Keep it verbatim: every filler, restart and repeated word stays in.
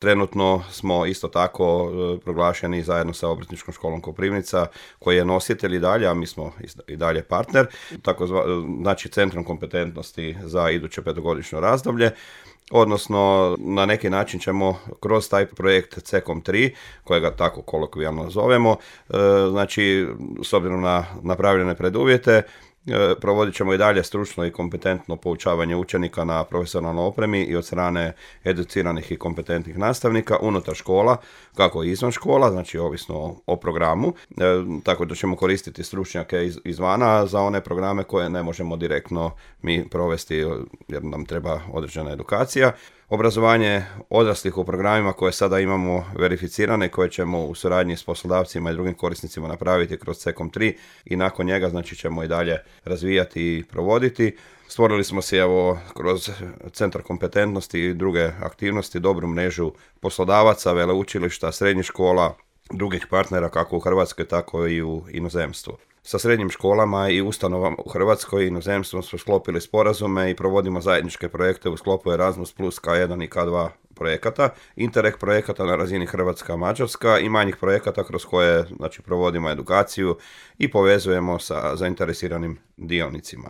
Trenutno smo isto tako e, proglašeni zajedno sa Obrtničkom školom Koprivnica, koji je nositelj i dalje, a mi smo i dalje partner, tako zva, znači centrom kompetentnosti za iduće petogodišnje razdoblje. Odnosno, na neki način ćemo kroz taj projekt C kom tri, kojega tako kolokvijalno zovemo, e, znači, s obzirom na napravljene preduvjete, provodit ćemo i dalje stručno i kompetentno poučavanje učenika na profesionalnoj opremi i od strane educiranih i kompetentnih nastavnika unutar škola, kako i izvan škola, znači ovisno o programu, e, tako da ćemo koristiti stručnjake iz, izvana za one programe koje ne možemo direktno mi provesti jer nam treba određena edukacija. Obrazovanje odraslih u programima koje sada imamo verificirane, koje ćemo u suradnji s poslodavcima i drugim korisnicima napraviti kroz C kom tri i nakon njega znači ćemo i dalje razvijati i provoditi. Stvorili smo si evo kroz centar kompetentnosti i druge aktivnosti dobru mrežu poslodavaca, veleučilišta, srednjih škola, drugih partnera kako u Hrvatskoj tako i u inozemstvu. Sa srednjim školama i ustanovama u Hrvatskoj i inozemstvom smo sklopili sporazume i provodimo zajedničke projekte u sklopu Erasmus plus K jedan i K dva projekata, Interreg projekata na razini Hrvatska-Mađarska i manjih projekata kroz koje znači, provodimo edukaciju i povezujemo sa zainteresiranim dionicima.